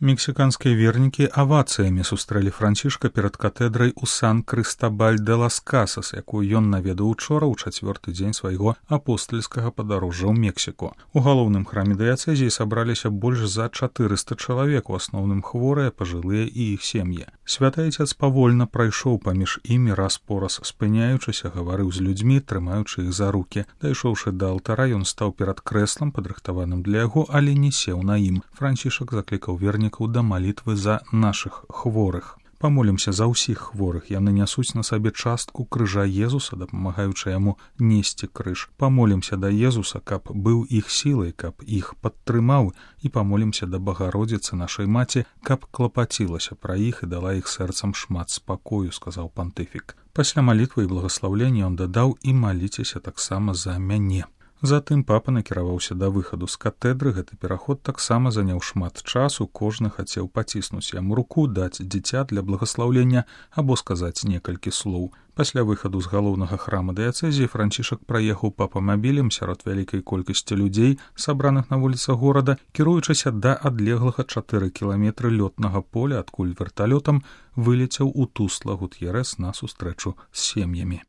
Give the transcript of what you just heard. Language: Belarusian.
Мексіканскія вернікі авацыямі сустрэлі Францішка перад катэдрай у Сан-Крыстабаль-де-лас-Касас, якую ён наведаў учора ў 4-й дзень свайго апостальскага падарожжа ў Мексіку. У галоўным храме дыяцэзіі сабраліся больш за 400 чалавек, у асноўным хворыя, пажылыя і іх сем'і. Святы Айцец павольна прайшоў паміж імі раз-пораз, спыняючыся, гаварыў з людзьмі, трымаючы іх за рукі. Дайшоўшы да алтара, ён стаў перад крэслам, падрыхтаваным для яго, але не сеў на ім. Францішак заклікаў вернікаў да малітвы за нашых хворых. Памолімся за ўсіх хворых, яны нясуць на сабе частку крыжа Езуса, дапамагаючы яму несці крыж. Памолімся да Езуса, каб быў іх сілай, каб іх падтрымаў, і памолімся да Багародзіцы нашай маці, каб клапацілася пра іх і дала іх сэрцам шмат спакою, сказаў пантыфік. Пасля малітвы і благаслаўлення ён дадаў: і маліцеся таксама за мяне. Затым папа накіраваўся да выхаду з катэдры. Гэты пераход таксама заняў шмат часу, кожны хацеў паціснуць яму руку, даць дзіця для благаслаўлення або сказаць некалькі слоў. Пасля выхаду з галоўнага храма дыяцэзіі Францішак праехаў папамабілем сярод вялікай колькасці людзей, сабраных на вуліцах горада, кіруючыся да адлеглага 4 кіламетры лётнага поля, адкуль верталётам вылецеў у Тусла Гут'ерэс на сустрэчу з сем'ямі.